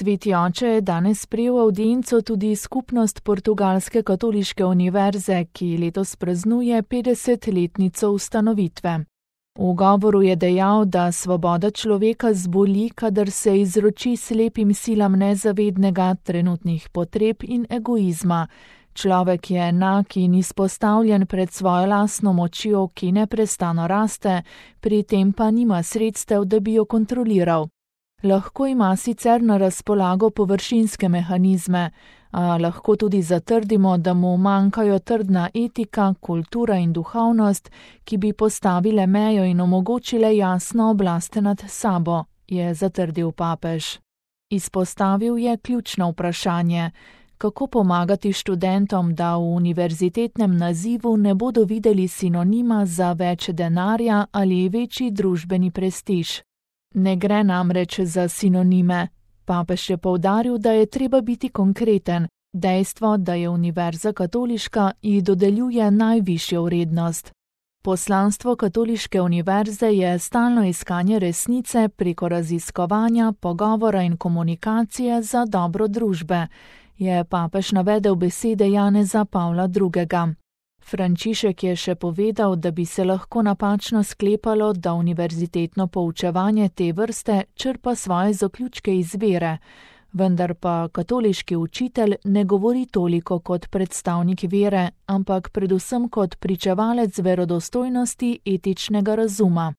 Sveti oče je danes sprejel avdienco tudi skupnost Portugalske katoliške univerze, ki letos praznuje 50-letnico ustanovitve. V govoru je dejal, da svoboda človeka zboli, kadar se izroči slepim silam nezavednega, trenutnih potreb in egoizma. Človek je enak in izpostavljen pred svojo lastno močjo, ki neprestano raste, pri tem pa nima sredstev, da bi jo kontroliral. Lahko ima sicer na razpolago površinske mehanizme, a lahko tudi zatrdimo, da mu manjkajo trdna etika, kultura in duhovnost, ki bi postavile mejo in omogočile jasno oblast nad sabo, je zatrdil papež. Izpostavil je ključno vprašanje, kako pomagati študentom, da v univerzitetnem nazivu ne bodo videli sinonima za več denarja ali večji družbeni prestiž. Ne gre namreč za sinonime. Papež je poudaril, da je treba biti konkreten. Dejstvo, da je univerza katoliška, ji dodeljuje najvišjo vrednost. Poslanstvo katoliške univerze je stalno iskanje resnice preko raziskovanja, pogovora in komunikacije za dobro družbe, je papež navedel besede Janeza Pavla II. Frančišek je še povedal, da bi se lahko napačno sklepalo, da univerzitetno poučevanje te vrste črpa svoje zaključke iz vere, vendar pa katoliški učitelj ne govori toliko kot predstavnik vere, ampak predvsem kot pričevalec verodostojnosti etičnega razuma.